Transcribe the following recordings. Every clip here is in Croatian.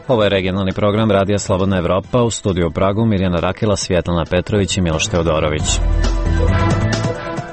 Ovo je regionalni program Radija Slobodna Evropa, u studiju u Pragu Mirjana Rakela, Svjetlana Petrović i Miloš Teodorović.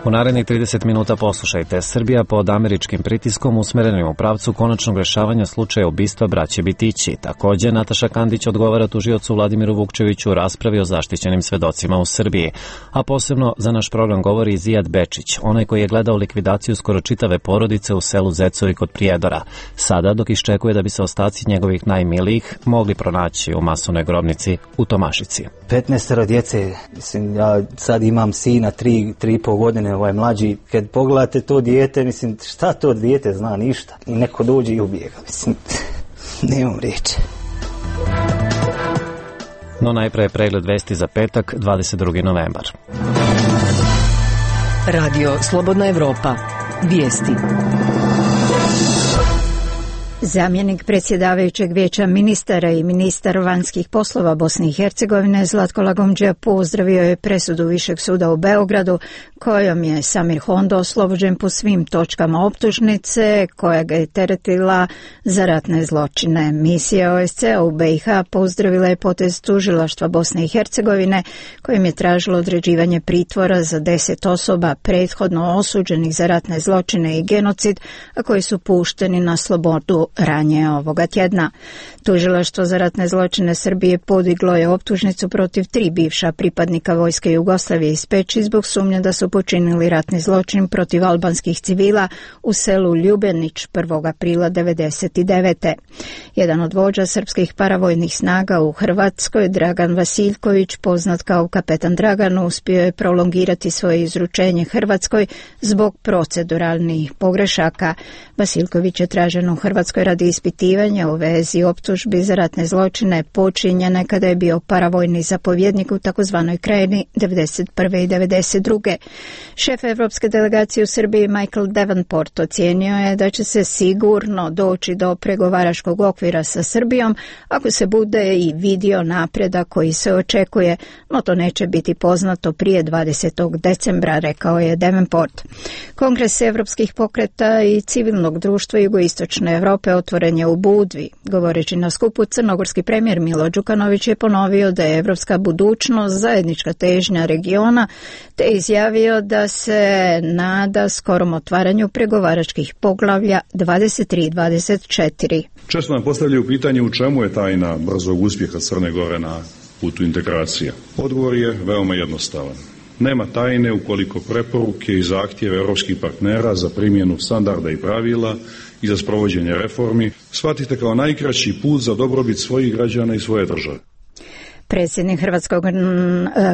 U narednih 30 minuta poslušajte. Srbija pod američkim pritiskom usmerenim u pravcu konačnog rešavanja slučaja ubistva braće Bitići. Također, Nataša Kandić odgovara tužiocu Vladimiru Vukčeviću u raspravi o zaštićenim svedocima u Srbiji. A posebno za naš program govori Zijad Bečić, onaj koji je gledao likvidaciju skoro čitave porodice u selu Zecori kod Prijedora. Sada, dok iščekuje da bi se ostaci njegovih najmilijih mogli pronaći u masovnoj grobnici u Tomašici. 15 djece, mislim, ja sad imam sina 3,5 godine, ovaj mlađi, kad pogledate to dijete, mislim, šta to dijete zna, ništa. I neko dođe i ubije ga, mislim, nemam riječi. No najpre pregled vesti za petak, 22. novembar. Radio Slobodna Evropa. Vijesti. Zamjenik predsjedavajućeg vijeća ministara i ministar vanjskih poslova Bosne i Hercegovine Zlatko Lagomdžija pozdravio je presudu Višeg suda u Beogradu kojom je Samir Hondo oslobođen po svim točkama optužnice koja ga je teretila za ratne zločine. Misija OSCE u BiH pozdravila je potez tužilaštva Bosne i Hercegovine kojim je tražilo određivanje pritvora za 10 osoba prethodno osuđenih za ratne zločine i genocid, a koji su pušteni na slobodu ranije ovoga tjedna. Tužilaštvo za ratne zločine Srbije podiglo je optužnicu protiv 3 bivša pripadnika vojske Jugoslavije iz Peći zbog sumnje da su počinili ratni zločin protiv albanskih civila u selu Ljubenić 1. aprila 1999. Jedan od vođa srpskih paravojnih snaga u Hrvatskoj, Dragan Vasiljković, poznat kao kapetan Dragan, uspio je prolongirati svoje izručenje Hrvatskoj zbog proceduralnih pogrešaka. Vasiljković je tražen u Hrvatskoj radi ispitivanja u vezi optužbi za ratne zločine počinjene kada je bio paravojni zapovjednik u takozvanoj Krajini 1991. i 1992. Šef evropske delegacije u Srbiji Michael Davenport ocijenio je da će se sigurno doći do pregovaračkog okvira sa Srbijom ako se bude i vidio napredak koji se očekuje, no to neće biti poznato prije 20. decembra, rekao je Davenport. Kongres evropskih pokreta i civilnog društva jugoistočne Evrope otvoren je u Budvi. Govoreći na skupu, crnogorski premijer Milo Đukanović je ponovio da je evropska budućnost zajednička težnja regiona, te izjavio da se nada skorom otvaranju pregovaračkih poglavlja 23 i 24. Često nam postavljaju pitanje u čemu je tajna brzog uspjeha Crne Gore na putu integracija. Odgovor je veoma jednostavan. Nema tajne ukoliko preporuke i zahtjeve europskih partnera za primjenu standarda i pravila i za sprovođenje reformi shvatite kao najkraći put za dobrobit svojih građana i svoje države. Predsjednik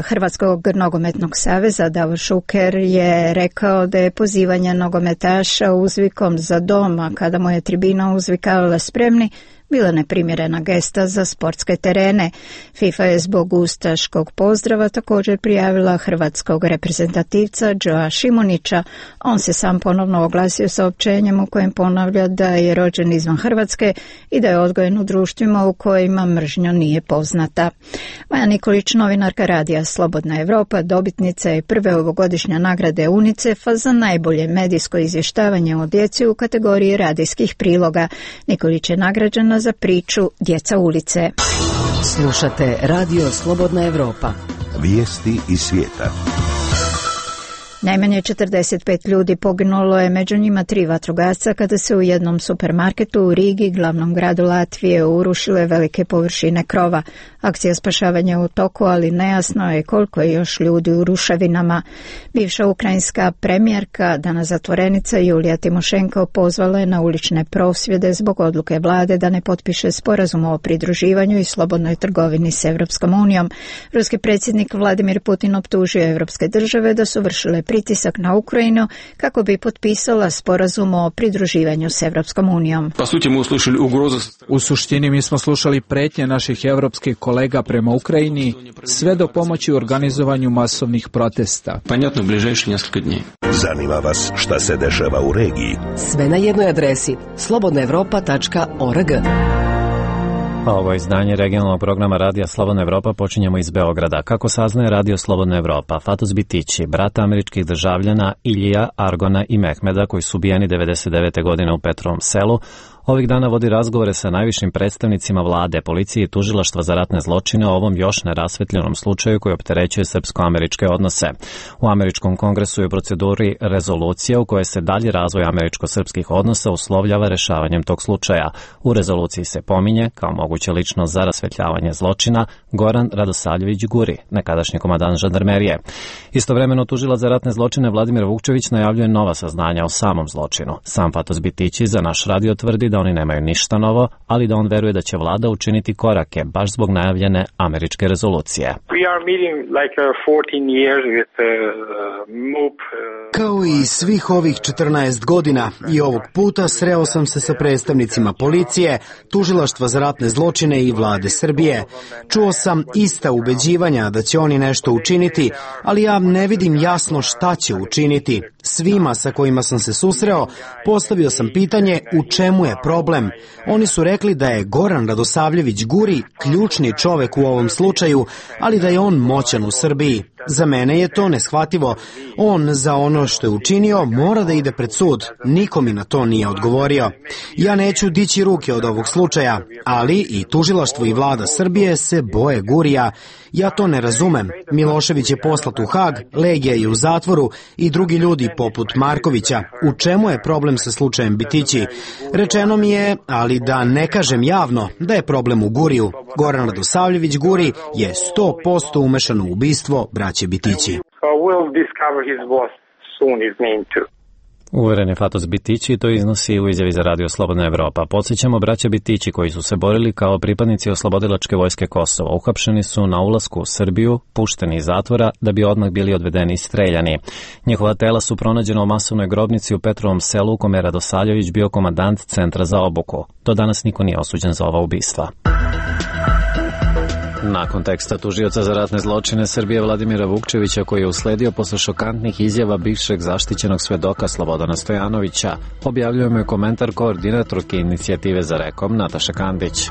Hrvatskog nogometnog saveza Davor Šuker je rekao da je pozivanje nogometaša uzvikom za doma kada mu je tribina uzvikavala spremni bila neprimjerena gesta za sportske terene. FIFA je zbog ustaškog pozdrava također prijavila hrvatskog reprezentativca Joa Šimunića. On se sam ponovno oglasio saopćenjem u kojem ponavlja da je rođen izvan Hrvatske i da je odgojen u društvima u kojima mržnja nije poznata. Maja Nikolić, novinarka Radija Slobodna Evropa, dobitnica je prve ovogodišnje nagrade UNICEF-a za najbolje medijsko izvještavanje o djeci u kategoriji radijskih priloga. Nikolić je nagrađena za priču Djeca ulice. Slušate Radio Slobodna Evropa. Vijesti iz svijeta. Najmanje 45 ljudi poginulo je, među njima 3 vatrogasca kada se u jednom supermarketu u Rigi, glavnom gradu Latvije, urušile velike površine krova. Akcija spašavanja u toku, ali nejasno je koliko je još ljudi u ruševinama. Bivša ukrajinska premijerka, danas zatvorenica Julija Timošenko, pozvala je na ulične prosvjede zbog odluke vlade da ne potpiše sporazum o pridruživanju i slobodnoj trgovini s Evropskom unijom. Ruski predsjednik Vladimir Putin optužio evropske države da su vršile pritisak na Ukrajinu kako bi potpisala sporazum o pridruživanju s Evropskom unijom. U suštini mi smo slušali pretnje naših evropskih kolega prema Ukrajini, sve do pomoći u organizovanju masovnih protesta. Zanima vas šta se dešava u regiji? Sve na jednoj adresi slobodnaevropa.org. Ovo izdanje regionalnog programa Radija Slobodna Evropa počinjemo iz Beograda. Kako saznaje Radio Slobodna Evropa, Fatos Bitići, brata američkih državljana Ilija, Argona i Mehmeda, koji su ubijeni 99. godine u Petrovom selu, Ovih dana vodi razgovore sa najvišim predstavnicima vlade, policije i tužilaštva za ratne zločine o ovom još nerasvetljenom slučaju koji opterećuje srpsko-američke odnose. U američkom kongresu je u proceduri rezolucija u kojoj se dalji razvoj američko-srpskih odnosa uslovljava rešavanjem tog slučaja. U rezoluciji se pominje, kao moguća ličnost za rasvetljavanje zločina, Goran Radosavljević Guri, nekadašnji komandant žandarmerije. Istovremeno tužilac za ratne zločine Vladimir Vukčević najavljuje nova saznanja o samom zločinu. Sam Fatos Bitići za naš radio tvrdi da oni nemaju ništa novo, ali da on veruje da će vlada učiniti korake baš zbog najavljene američke rezolucije. Kao i svih ovih 14 godina i ovog puta sreo sam se sa predstavnicima policije, tužilaštva za ratne zločine i vlade Srbije. Čuo sam ista ubeđivanja da će oni nešto učiniti, ali ja ne vidim jasno šta će učiniti. Svima sa kojima sam se susreo, postavio sam pitanje u čemu je problem. Oni su rekli da je Goran Radosavljević Guri ključni čovek u ovom slučaju, ali da je on moćan u Srbiji. Za mene je to neshvativo. On za ono što je učinio mora da ide pred sud. Niko mi na to nije odgovorio. Ja neću dići ruke od ovog slučaja, ali i tužilaštvo i vlada Srbije se boje Gurija. Ja to ne razumem. Milošević je poslat u Hag, Legija je u zatvoru i drugi ljudi poput Markovića. U čemu je problem sa slučajem Bitići? Rečeno mi je, ali da ne kažem javno, da je problem u Guriju. Goran Radosavljević Guri je 100% umešan u ubistvo braće Bitići. Uveren je Fatos Bitići, to iznosi u izjavi za Radio Slobodna Evropa. Podsjećamo, braća Bitići koji su se borili kao pripadnici oslobodilačke vojske Kosova. Uhapšeni su na ulasku u Srbiju, pušteni iz zatvora da bi odmah bili odvedeni i streljani. Njihova tela su pronađena u masovnoj grobnici u Petrovom selu u kome je Radosavljević bio komandant centra za obuku. Do danas niko nije osuđen za ova ubistva. Nakon teksta tužioca za ratne zločine Srbije Vladimira Vukčevića koji je usledio posle šokantnih izjava bivšeg zaštićenog svedoka Slobodana Stojanovića, objavljujemo je komentar koordinatorke inicijative za Rekom Nataše Kandić.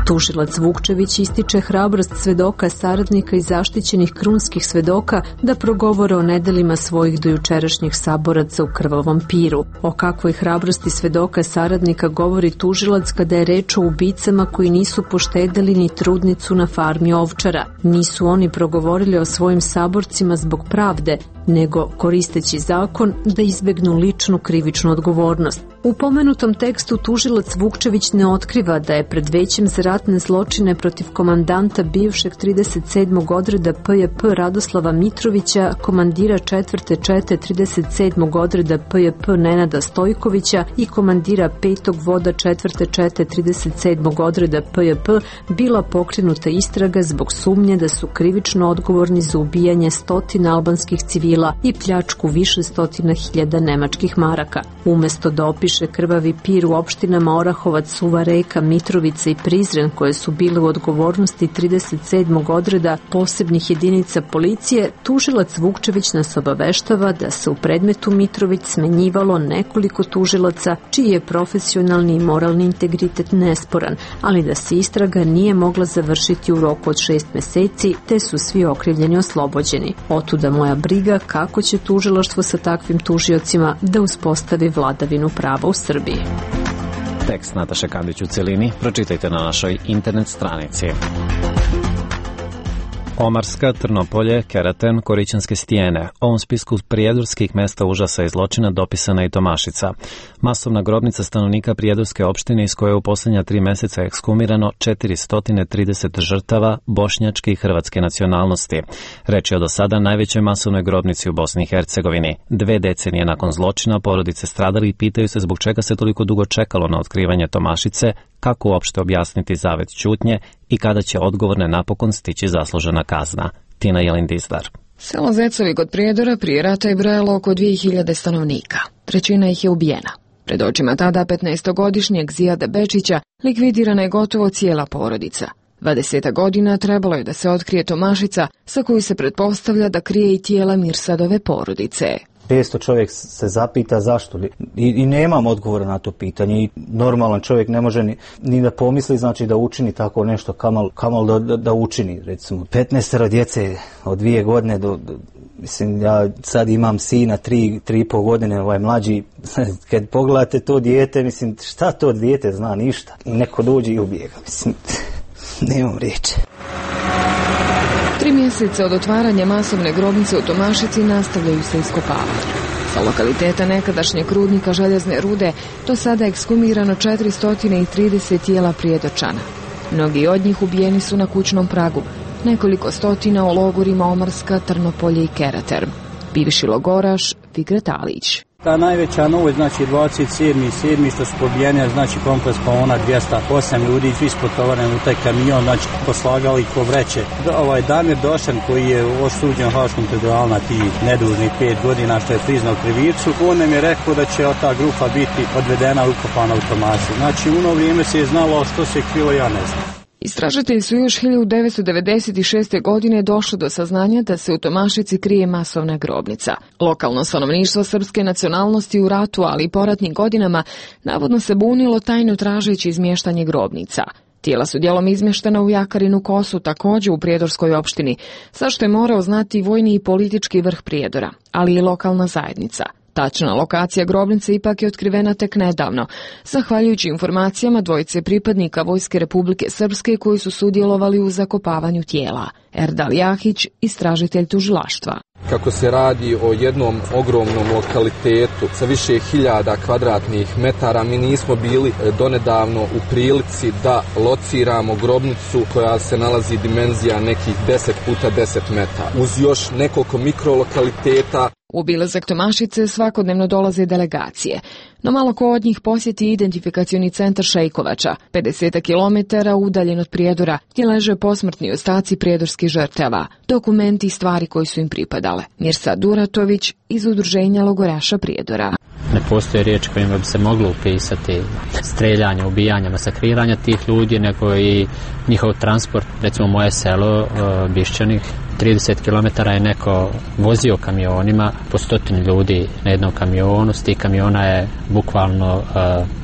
Tužilac Vukčević ističe hrabrost svedoka, saradnika i zaštićenih krunskih svedoka da progovore o nedelima svojih dojučerašnjih saboraca u krvavom Piru. O kakvoj hrabrosti svedoka saradnika govori tužilac kada je reč o ubicama koji nisu poštedeli ni trudnicu na farmi ovčara. Nisu oni progovorili o svojim saborcima zbog pravde, nego koristeći zakon da izbegnu ličnu krivičnu odgovornost. U pomenutom tekstu tužilac Vukčević ne otkriva da je pred većem za ratne zločine protiv komandanta bivšeg 37. odreda PJP Radoslava Mitrovića, komandira 4. čete 37. odreda PJP Nenada Stojkovića i komandira 5. voda 4. čete 37. odreda PJP bila pokrenuta istraga zbog sumnje da su krivično odgovorni za ubijanje stotina albanskih civila i pljačku više stotina hiljada nemačkih maraka. Umesto da opiše krvavi pir u opštinama Orahovac, Suva Reka, Mitrovica i Prizren koje su bile u odgovornosti 37. odreda posebnih jedinica policije, tužilac Vukčević nas obaveštava da se u predmetu Mitrović smenjivalo nekoliko tužilaca čiji je profesionalni i moralni integritet nesporan, ali da se istraga nije mogla završiti u roku od 6 meseci, te su svi okrivljeni oslobođeni. Otuda moja briga kako će tužilaštvo sa takvim tužiocima da uspostavi vladavinu prava u Srbiji. Tekst Nataše Kandić u celini pročitajte na našoj internet stranici. Omarska, Trnopolje, Keraten, Korićanske stijene. U ovom spisku prijedorskih mesta užasa i zločina dopisana i Tomašica. Masovna grobnica stanovnika prijedorske opštine iz koje je u posljednja 3 meseca ekshumirano 430 žrtava bošnjačke i hrvatske nacionalnosti. Reč je o do sada najvećoj masovnoj grobnici u Bosni i Hercegovini. 2 decenije nakon zločina porodice stradali i pitaju se zbog čega se toliko dugo čekalo na otkrivanje Tomašice, kako uopšte objasniti zavet ćutnje i kada će odgovorne napokon stići zaslužena kazna. Tina Jelin-Dizdar. Selo Zecovi kod Prijedora prije rata je brojalo oko 2000 stanovnika. 1/3 ih je ubijena. Pred očima tada 15-godišnjeg Zijada Bečića likvidirana je gotovo cijela porodica. 20 godina trebalo je da se otkrije Tomašica, sa koju se pretpostavlja da krije i tijela Mirsadove porodice. Često čovjek se zapita zašto i nemam odgovora na to pitanje i normalan čovjek ne može ni da pomisli, znači da učini tako nešto, kamal da učini, recimo 15 djece od 2 godine Mislim, ja sad imam sina 3,5 godine, mlađi, kad pogledate to dijete, mislim, šta to dijete zna, ništa. I neko dođe i ubijega, mislim, nemam riječi. 3 mjeseca od otvaranja masovne grobnice u Tomašici nastavljaju se iskopavanja. Sa lokaliteta nekadašnjeg rudnika željezne rude do sada ekshumirano 430 tijela Prijedorčana. Mnogi od njih ubijeni su na kućnom pragu, nekoliko stotina u logorima Omrska, Trnopolje i Keraterm. Bivši logoraš Fikret Alić. Ta najveća novost, znači 27.7. što su pobijeni, znači kompleks Pavona 208 ljudi, svi spotovareni u taj kamion, znači poslagali ko vreće. Damir Došan koji je osuđen u Haškom tribunalu na tih nedužnih 5 godina što je priznao krivicu, on nam je rekao da će ta grupa biti odvedena i ukopana u Tomaši. Znači u ono vrijeme se je znalo što se krilo, ja ne znam. Istražitelji su još 1996. godine došli do saznanja da se u Tomašici krije masovna grobnica. Lokalno stanovništvo srpske nacionalnosti u ratu, ali i poratnim godinama, navodno se bunilo tajno tražeći izmještanje grobnica. Tijela su dijelom izmještena u Jakarinu Kosu, također u Prijedorskoj opštini, zašto je morao znati vojni i politički vrh Prijedora, ali i lokalna zajednica. Tačna lokacija grobnice ipak je otkrivena tek nedavno, zahvaljujući informacijama dvojice pripadnika Vojske Republike Srpske koji su sudjelovali u zakopavanju tijela. Erdal Jahić, istražitelj tužilaštva. Kako se radi o jednom ogromnom lokalitetu sa više hiljada kvadratnih metara, mi nismo bili donedavno u prilici da lociramo grobnicu koja se nalazi dimenzija nekih 10 puta 10 metara. Uz još nekoliko mikrolokaliteta. U obilazak Tomašice svakodnevno dolaze delegacije, no malo ko od njih posjeti identifikacioni centar Šejkovača, 50 km udaljen od Prijedora, gdje leže posmrtni ostaci prijedorskih žrtava, dokumenti i stvari koji su im pripadale. Mirsad Duratović iz udruženja logoraša Prijedora. Ne postoje riječi kojima bi se moglo upisati streljanje, ubijanja, masakriranja tih ljudi, nego i njihov transport. Recimo moje selo, Bišćanik, 30 km je neko vozio kamionima, po 100 ljudi na jednom kamionu, s tih kamiona je bukvalno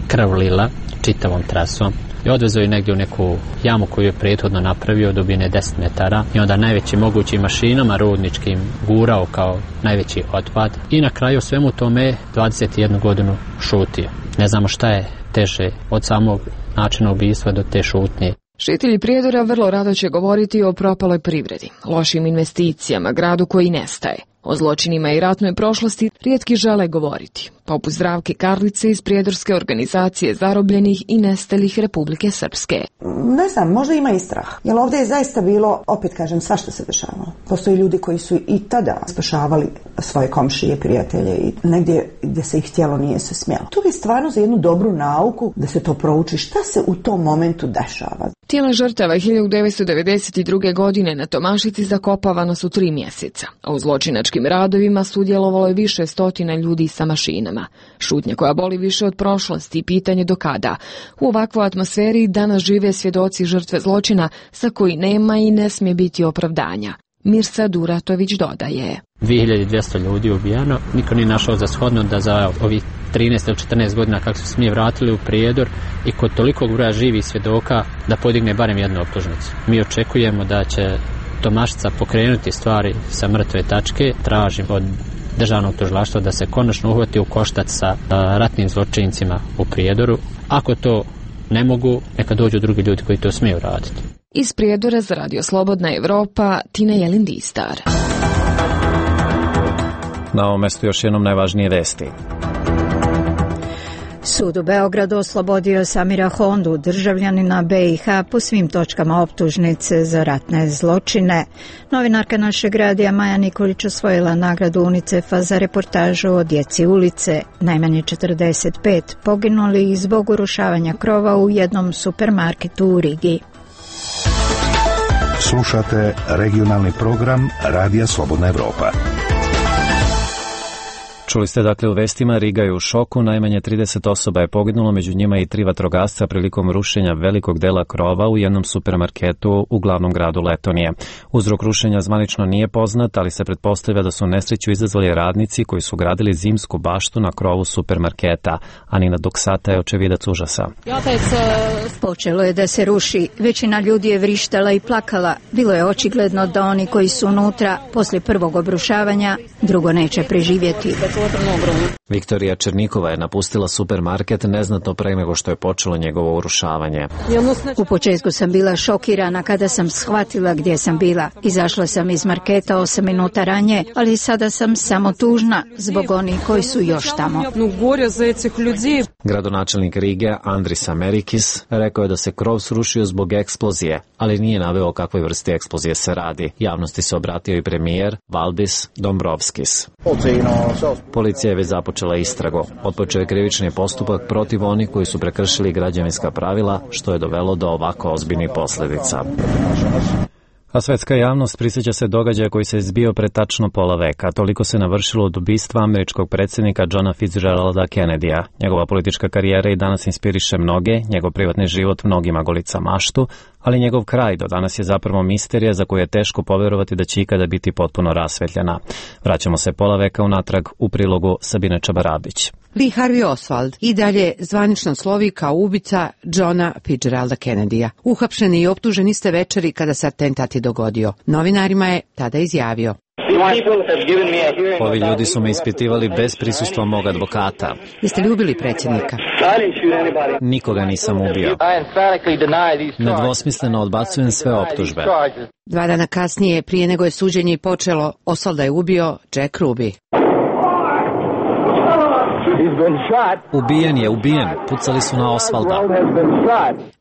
krv lila čitavom trasom. I odvezao je negdje u neku jamu koju je prethodno napravio, dubine 10 metara i onda najvećim mogućim mašinama rudničkim gurao kao najveći otpad i na kraju svemu tome 21 godinu šutio. Ne znamo šta je teže od samog načina ubistva do te šutnje. Žitelji Prijedora vrlo rado će govoriti o propaloj privredi, lošim investicijama, gradu koji nestaje. O zločinima i ratnoj prošlosti rijetki žele govoriti, poput Zdravke Karlice iz prijedorske organizacije zarobljenih i nestalih Republike Srpske. Ne znam, možda ima i strah, jer ovdje je zaista bilo, opet kažem, svašta se dešavalo. Postoji ljudi koji su i tada spašavali svoje komšije, prijatelje i negdje gdje se ih htjelo nije se smjelo. To je stvarno za jednu dobru nauku da se to prouči šta se u tom momentu dešava. Tijela žrtava 1992. godine na Tomašici zakopavano su 3 mjeseca, a u zločinačkim radovima sudjelovalo je više stotina ljudi sa mašinama. Šutnja koja boli više od prošlosti i pitanje do kada. U ovakvoj atmosferi danas žive svjedoci žrtve zločina za koji nema i ne smije biti opravdanja. Mirsad Duratović dodaje. 2200 ljudi ubijano, niko nije našao za shodno da za ovih 13 ili 14 godina kako su smije vratili u Prijedor i kod tolikog broja živih svjedoka da podigne barem jednu optužnicu. Mi očekujemo da će Tomašica pokrenuti stvari sa mrtve tačke, tražim od državnog tužilaštva da se konačno uhvati u koštac sa ratnim zločincima u Prijedoru. Ako to ne mogu, neka dođu drugi ljudi koji to smiju raditi. Iz Prijedora za Radio Slobodna Evropa, Tina Jelindistar. Na ovom mjestu još jednom najvažnije vesti. Sud u Beogradu oslobodio Samira Hondu, državljanina BiH, po svim točkama optužnice za ratne zločine. Novinarka našeg radija Maja Nikolić osvojila nagradu UNICEF-a za reportažu o djeci ulice. Najmanje 45 poginuli zbog urušavanja krova u jednom supermarketu u Rigi. Slušate regionalni program Radija Slobodna Evropa. Čuli ste dakle u vestima, Riga je u šoku, najmanje 30 osoba je poginulo, među njima i 3 vatrogasca prilikom rušenja velikog dela krova u jednom supermarketu u glavnom gradu Letonije. Uzrok rušenja zvanično nije poznat, ali se pretpostavlja da su nesreću izazvali radnici koji su gradili zimsku baštu na krovu supermarketa. Anina Doksata je očevidac užasa. Počelo je da se ruši, većina ljudi je vrištala i plakala. Bilo je očigledno da oni koji su unutra poslije prvog obrušavanja drugo neće preživjeti. Viktorija Černikova je napustila supermarket neznatno pre nego što je počelo njegovo urušavanje. U početku sam bila šokirana kada sam shvatila gdje sam bila. Izašla sam iz marketa 8 minuta ranije, ali sada sam samo tužna zbog onih koji su još tamo. Gradonačelnik Rige Andris Amerikis rekao je da se krov srušio zbog eksplozije, ali nije naveo o kakvoj vrsti eksplozije se radi. Javnosti se obratio i premijer Valdis Dombrovskis. Policija je već započela istragu. Otpočeo je krivični postupak protiv onih koji su prekršili građevinska pravila, što je dovelo do ovako ozbiljnih posljedica. A svetska javnost prisjeća se događaja koji se zbio pre tačno pola veka. Toliko se navršilo od ubistva američkog predsjednika Johna Fitzgeralda Kennedya. Njegova politička karijera i danas inspiriše mnoge, njegov privatni život mnogima golica maštu, ali njegov kraj do danas je zapravo misterija za koju je teško povjerovati da će ikada biti potpuno rasvetljena. Vraćamo se pola veka unatrag u prilogu Sabine Čabaradić. Lee Harvey Oswald i dalje zvanično slovi kao ubica Johna Fitzgeralda Kennedya. Uhapšen i optužen iste večeri kada se atentat je dogodio. Novinarima je tada izjavio: Ovi ljudi su me ispitivali bez prisustva mog advokata. Jeste li ubili predsjednika? Nikoga nisam ubio. Nedvosmisleno odbacujem sve optužbe. 2 dana kasnije, prije nego je suđenje počelo, Oswalda je ubio Jack Ruby. Ubijen. Pucali su na Oswalda.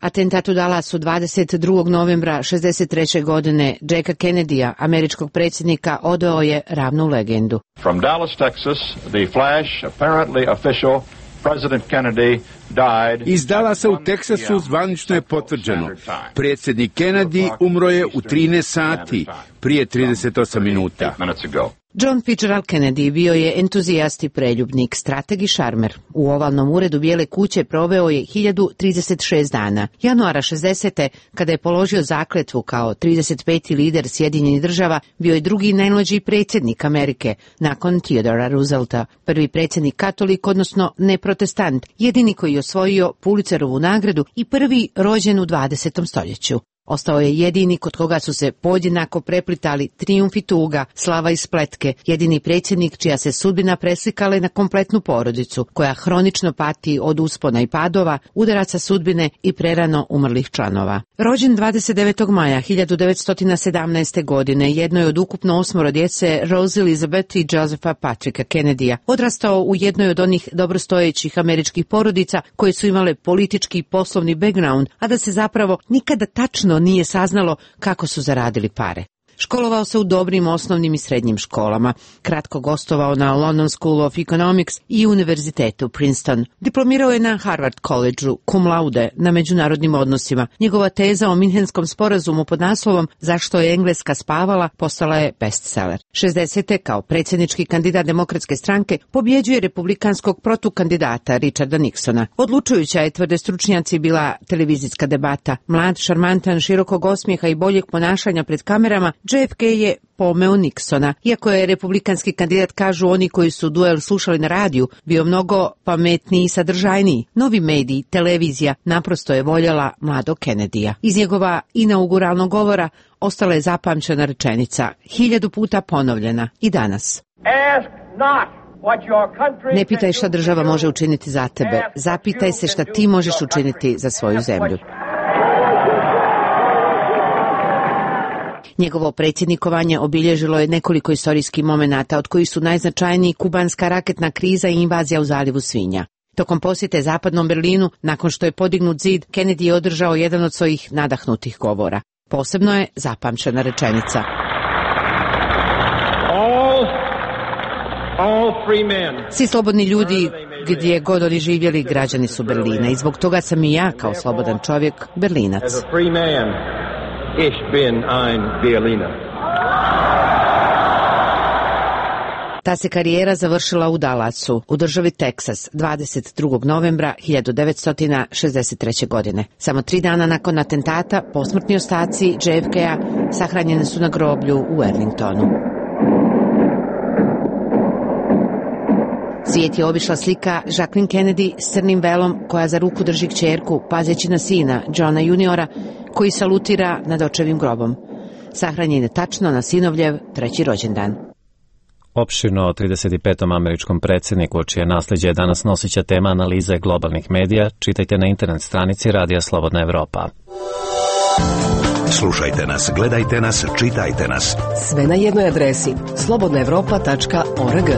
Atentat u Dallasu 22. novembra 1963. godine Jacka Kennedya, američkog predsjednika, odveo je ravnu legendu. From Dallas, Texas, the flash, apparently official, President Kennedy died. Iz Dallasa u Teksasu zvanično je potvrđeno. Predsjednik Kennedy umro je u 13 sati, prije 38 minuta. John Fitzgerald Kennedy bio je entuzijast i preljubnik, strateg i šarmer. U ovalnom uredu Bijele kuće proveo je 1036 dana. Januara 60. kada je položio zakletvu kao 35. lider Sjedinjenih država, bio je drugi najmlađi predsjednik Amerike, nakon Theodora Roosevelta, prvi predsjednik katolik, odnosno neprotestant, jedini koji je osvojio Pulitzerovu nagradu i prvi rođen u 20. stoljeću. Ostao je jedini kod koga su se podjednako preplitali trijumf i tuga, slava i spletke, jedini predsjednik čija se sudbina preslikala na kompletnu porodicu, koja hronično pati od uspona i padova, udaraca sudbine i prerano umrlih članova. Rođen 29. maja 1917. godine, jedno je od ukupno 8 djece Rose Elizabeth i Josepha Patricka Kennedya, odrastao u jednoj od onih dobrostojećih američkih porodica koje su imale politički i poslovni background, a da se zapravo nikada tačno nije saznalo kako su zaradili pare. Školovao se u dobrim osnovnim i srednjim školama, kratko gostovao na London School of Economics i univerzitetu Princeton. Diplomirao je na Harvard College-u cum laude na međunarodnim odnosima. Njegova teza o Minhenskom sporazumu pod naslovom Zašto je Engleska spavala postala je bestseller. 60. kao predsjednički kandidat Demokratske stranke pobjeđuje republikanskog protukandidata Richarda Nixona. Odlučujuća je, tvrde stručnjaci, bila televizijska debata. Mlad, šarmantan, širokog osmijeha i boljeg ponašanja pred kamerama, JFK je pomeo Nixona. Iako je republikanski kandidat, kažu oni koji su duel slušali na radiju, bio mnogo pametniji i sadržajniji. Novi mediji, televizija, naprosto je voljela mladog Kennedyja. Iz njegova inauguralnog govora ostala je zapamćena rečenica, 1000 puta ponovljena i danas. Ne pitaj šta država može učiniti za tebe, zapitaj se šta ti možeš učiniti za svoju zemlju. Njegovo predsjednikovanje obilježilo je nekoliko istorijskih momenata, od kojih su najznačajniji kubanska raketna kriza i invazija u zalivu Svinja. Tokom posjete zapadnom Berlinu, nakon što je podignut zid, Kennedy je održao jedan od svojih nadahnutih govora. Posebno je zapamćena rečenica. Svi slobodni ljudi, gdje god oni živjeli, građani su Berlina, i zbog toga sam i ja, kao slobodan čovjek, Berlinac. Ich bin ein Berliner. Ta se karijera završila u Dallasu, u državi Teksas, 22. novembra 1963. godine. Samo 3 dana nakon atentata, posmrtni ostaci JFK-a sahranjeni su na groblju u Arlingtonu. Svijet je obišla slika Jacqueline Kennedy s crnim velom koja za ruku drži kćerku, pazeći na sina, Johna juniora, koji salutira nad očevim grobom. Sahranjen je tačno na sinovljev 3. rođendan. Opširno o 35. američkom predsjedniku, čije nasljeđe je danas nosića tema analize globalnih medija, čitajte na internet stranici Radija Slobodna Evropa. Slušajte nas, gledajte nas, čitajte nas. Sve na jednoj adresi slobodnaevropa.org.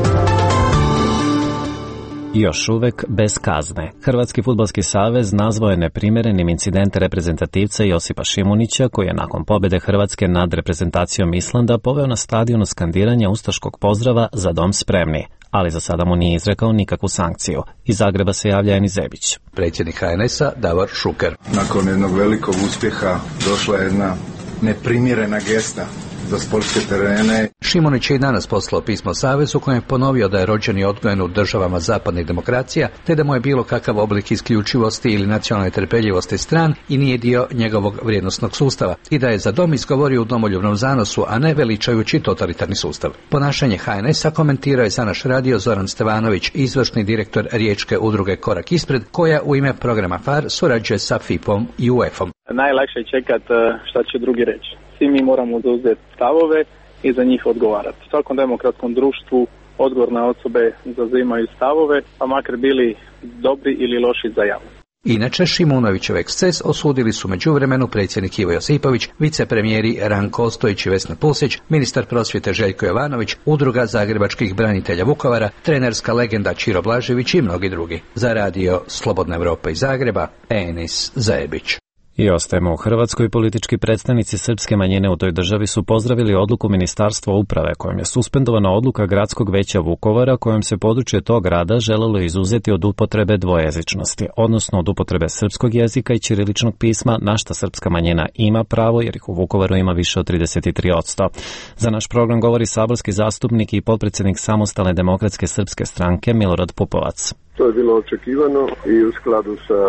Još uvek bez kazne. Hrvatski fudbalski savez nazvao je neprimjerenim incident reprezentativca Josipa Šimunića, koji je nakon pobjede Hrvatske nad reprezentacijom Islanda poveo na stadionu skandiranja ustaškog pozdrava Za dom spremni, ali za sada mu nije izrekao nikakvu sankciju. Iz Zagreba se javlja Eni Zebić. Predsjednik HNS-a Davor Šuker. Nakon jednog velikog uspjeha došla je jedna neprimjerena gesta za sportske terene. Šimunić je i danas poslao pismo Savezu kojem je ponovio da je rođen i odgojen u državama zapadnih demokracija, te da mu je bilo kakav oblik isključivosti ili nacionalne trpeljivosti stran i nije dio njegovog vrijednosnog sustava, i da je za dom izgovorio u domoljubnom zanosu, a ne veličajući totalitarni sustav. Ponašanje HNS-a komentirao je za naš radio Zoran Stevanović, izvršni direktor riječke udruge Korak ispred, koja u ime programa FAR surađuje sa FIP-om i UEFA-om. Najlakše je čekat šta će drugi reći. Svi mi moramo zauzeti stavove i za njih odgovarati. U svakom demokratskom društvu odgovorne osobe zauzimaju stavove, pa makar bili dobri ili loši za javnost. Inače, Šimunovićev eksces osudili su međuvremenu predsjednik Ivo Josipović, vicepremijeri Ranko Ostojić i Vesna Pusić, ministar prosvjete Željko Jovanović, udruga zagrebačkih branitelja Vukovara, trenerska legenda Čiro Blažević i mnogi drugi. Za radio Slobodna Evropa iz Zagreba, Enis Zajebić. I ostajemo u Hrvatskoj. Politički predstavnici srpske manjine u toj državi su pozdravili odluku Ministarstva uprave kojom je suspendovana odluka Gradskog veća Vukovara kojom se područje tog grada želelo izuzeti od upotrebe dvojezičnosti, odnosno od upotrebe srpskog jezika i ćiriličnog pisma, na šta srpska manjina ima pravo jer ih u Vukovaru ima više od 33%. Za naš program govori saborski zastupnik i potpredsjednik Samostalne demokratske srpske stranke Milorad Pupovac. To je bilo očekivano i u skladu sa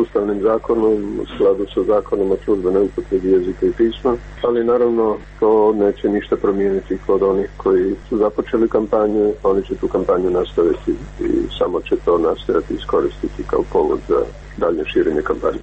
ustavnim zakonom, u skladu sa zakonom o službenoj upotrebi jezika i pisma, ali naravno to neće ništa promijeniti kod onih koji su započeli kampanju, oni će tu kampanju nastaviti i samo će to nastojati iskoristiti kao povod za dalje širenje kampanje.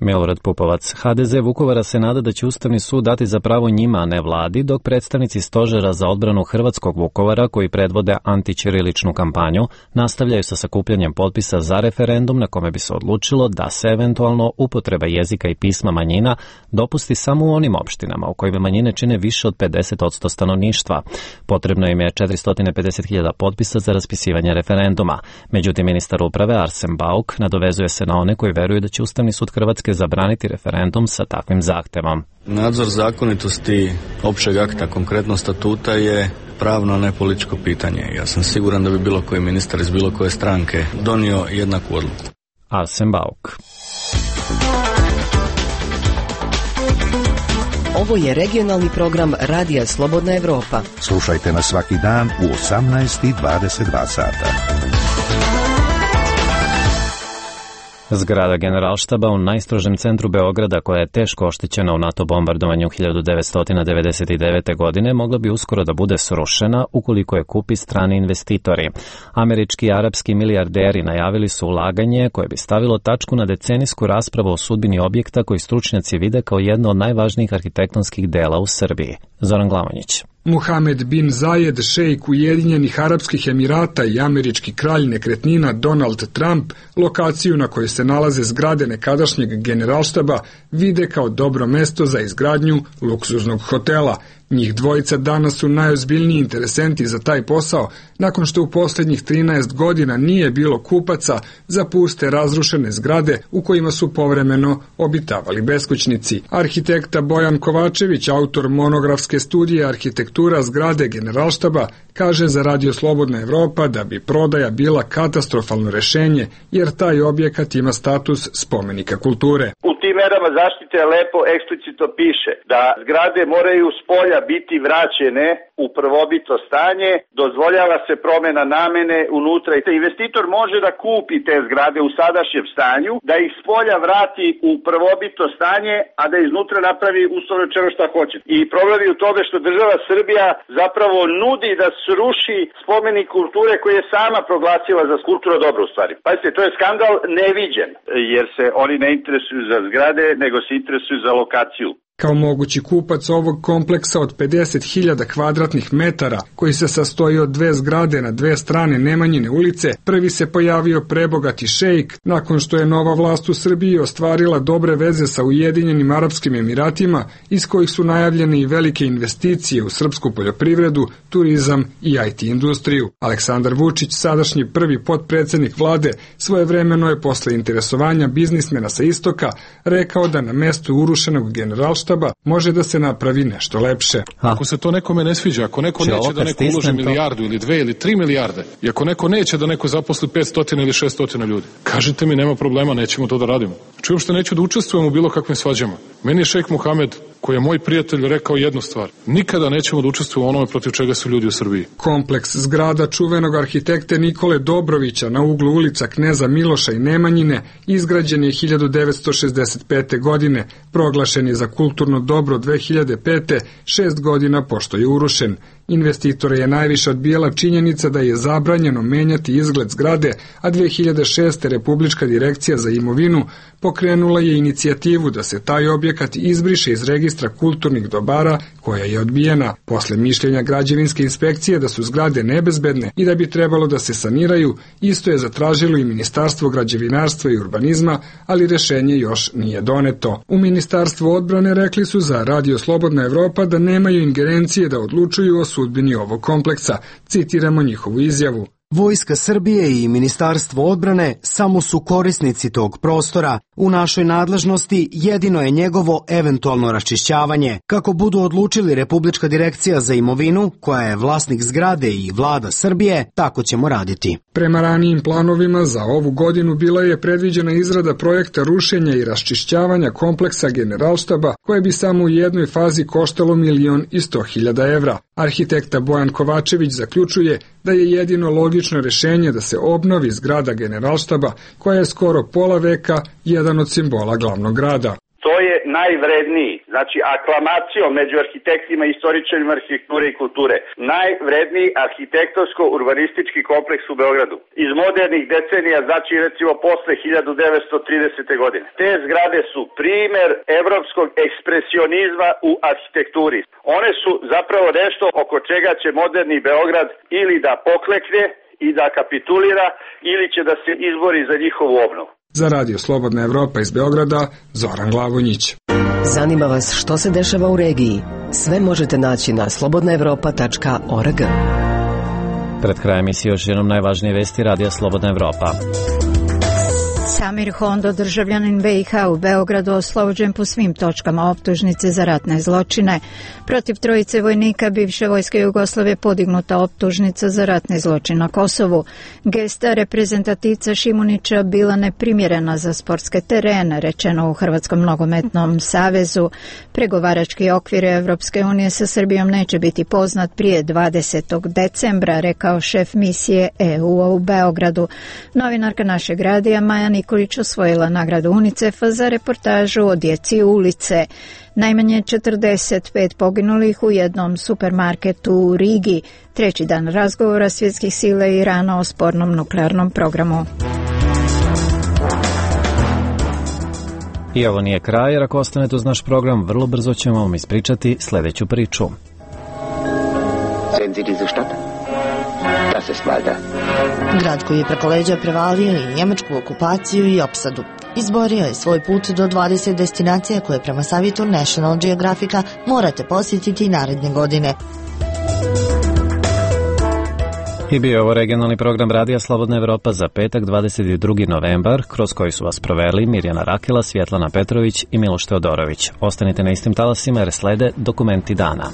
Milorad Pupovac. HDZ Vukovara se nada da će Ustavni sud dati za pravo njima, a ne vladi, dok predstavnici Stožera za odbranu hrvatskog Vukovara, koji predvode antićiriličnu kampanju, nastavljaju sa sakupljanjem potpisa za referendum na kome bi se odlučilo da se eventualno upotreba jezika i pisma manjina dopusti samo u onim opštinama u kojima manjine čine više od 50% stanovništva. Potrebno im je 450.000 potpisa za raspisivanje referenduma. Međutim, ministar uprave Arsen Bauk nadovezuje se na one koji veruju da će Ustavni sud Hrvatske zabraniti referendum sa takvim zahtevom. Nadzor zakonitosti općeg akta, konkretno statuta, je pravno, a ne političko pitanje. Ja sam siguran da bi bilo koji ministar iz bilo koje stranke donio jednaku odluku. Arsen Bauk. Ovo je regionalni program Radija Slobodna Evropa. Slušajte nas svaki dan u 18:22 sata. Zgrada Generalštaba u najstrožem centru Beograda, koja je teško oštećena u NATO bombardovanju 1999. godine, mogla bi uskoro da bude srušena ukoliko je kupi strani investitori. Američki i arapski milijarderi najavili su ulaganje koje bi stavilo tačku na decenijsku raspravu o sudbini objekta koji stručnjaci vide kao jedno od najvažnijih arhitektonskih dela u Srbiji. Zoran Glamonjić. Mohamed bin Zayed, šejk Ujedinjenih Arapskih Emirata i američki kralj nekretnina Donald Trump, lokaciju na kojoj se nalaze zgrade nekadašnjeg Generalštaba vide kao dobro mesto za izgradnju luksuznog hotela. Njih dvojica danas su najozbiljniji interesenti za taj posao, nakon što u posljednjih 13 godina nije bilo kupaca za puste razrušene zgrade u kojima su povremeno obitavali beskućnici. Arhitekta Bojan Kovačević, autor monografske studije Arhitektura zgrade Generalštaba, kaže za Radio Slobodna Evropa da bi prodaja bila katastrofalno rešenje, jer taj objekat ima status spomenika kulture. U tim merama zaštite lepo eksplicitno piše da zgrade moraju s polja biti vraćene u prvobitno stanje, dozvoljava se promjena namene unutra i investitor može da kupi te zgrade u sadašnjem stanju, da ih s polja vrati u prvobitno stanje, a da iznutra napravi uslovno rečeno šta hoće. I problem je u tome što država Srbija zapravo nudi da sruši spomenik kulture koji je sama proglasila za kulturno dobro u stvari. Pazite, to je skandal neviđen, jer se oni ne interesuju za zgrade, nego se interesuju za lokaciju. Kao mogući kupac ovog kompleksa od 50.000 kvadratnih metara, koji se sastoji od dve zgrade na dve strane Nemanjine ulice, prvi se pojavio prebogati šejk nakon što je nova vlast u Srbiji ostvarila dobre veze sa Ujedinjenim Arapskim Emiratima, iz kojih su najavljene i velike investicije u srpsku poljoprivredu, turizam i IT industriju. Aleksandar Vučić, sadašnji prvi potpredsednik vlade, svojevremeno je posle interesovanja biznismena sa istoka rekao da na mestu urušenog Generalštaba može da se napravi nešto lepše. Ako se to nekome ne sviđa, ako neko neće da neko uloži milijardu ili 2 ili 3 milijarde, i ako neko neće da neko zaposli 500 ili 600 ljudi, kažite mi, nema problema, nećemo to da radimo. Znači, uopšte neću da učestvujem u bilo kakvim svađama. Meni je šejk Muhamed, koji je moj prijatelj, rekao jednu stvar: nikada nećemo da učestvujemo u onome protiv čega su ljudi u Srbiji. Kompleks zgrada čuvenog arhitekte Nikole Dobrovića na uglu ulica Kneza Miloša i Nemanjine izgrađen je 1965. godine, proglašen je za kulturno dobro 2005. 6 godina pošto je urušen. Investitore je najviše odbijala činjenica da je zabranjeno menjati izgled zgrade, a 2006. Republička direkcija za imovinu pokrenula je inicijativu da se taj objekat izbriše iz registra kulturnih dobara, koja je odbijena. Posle mišljenja građevinske inspekcije da su zgrade nebezbedne i da bi trebalo da se saniraju, isto je zatražilo i Ministarstvo građevinarstva i urbanizma, ali rešenje još nije doneto. U Ministarstvu odbrane rekli su za Radio Slobodna Evropa da nemaju ingerencije da odlučuju o sudbini ovog kompleksa. Citiramo njihovu izjavu. Vojska Srbije i Ministarstvo odbrane samo su korisnici tog prostora. U našoj nadležnosti jedino je njegovo eventualno raščišćavanje. Kako budu odlučili Republička direkcija za imovinu, koja je vlasnik zgrade, i vlada Srbije, tako ćemo raditi. Prema ranijim planovima za ovu godinu bila je predviđena izrada projekta rušenja i raščišćavanja kompleksa Generalštaba, koje bi samo u jednoj fazi koštalo 1.100.000 evra. Arhitekta Bojan Kovačević zaključuje da je jedino logično rešenje da se obnovi zgrada Generalštaba, koja je skoro pola veka jedan od simbola glavnog grada. To je najvredniji, znači aklamacijom među arhitektima i istoričarima arhitekture i kulture, najvredniji arhitektonsko-urbanistički kompleks u Beogradu. Iz modernih decenija, znači recimo posle 1930. godine. Te zgrade su primer evropskog ekspresionizma u arhitekturi. One su zapravo nešto oko čega će moderni Beograd ili da poklekne i da kapitulira, ili će da se izbori za njihovu obnovu. Za Radio Slobodna Evropa iz Beograda, Zoran Glavonjić. Zanima vas što se dešava u regiji? Sve možete naći na slobodnaevropa.org. Pred krajem emisije još jednom najvažnije vesti Radija Slobodna Evropa. Samir Hondo, državljanin BiH u Beogradu, oslobođen po svim točkama optužnice za ratne zločine. Protiv trojice vojnika bivše vojske Jugoslavije podignuta optužnica za ratni zločin na Kosovu. Gesta reprezentativca Šimunića bila neprimjerena za sportske terene, rečeno u Hrvatskom nogometnom savezu. Pregovarački okvir Evropske unije sa Srbijom neće biti poznat prije 20. decembra, rekao šef misije EU-a u Beogradu. Novinarka našeg radija Maja Nikolić osvojila nagradu UNICEF-a za reportažu o djeci ulice. Najmanje 45 poginulih u jednom supermarketu u Rigi. Treći dan razgovora svjetskih sila i Irana o spornom nuklearnom programu. I ovo nije kraj, jer ako ostanete uz naš program, vrlo brzo ćemo vam ispričati sljedeću priču. Sehen Sie diese Stadt? Das ist Malta. Grad koji je preko leđa prevalio i njemačku okupaciju i opsadu. Izborio je svoj put do 20 destinacija koje prema savjetu National Geographica morate posjetiti naredne godine. I bio je ovo regionalni program Radija Slobodna Evropa za petak 22. novembar, kroz koji su vas proveli Mirjana Rakela, Svjetlana Petrović i Miloš Teodorović. Ostanite na istim talasima jer slede dokumenti dana.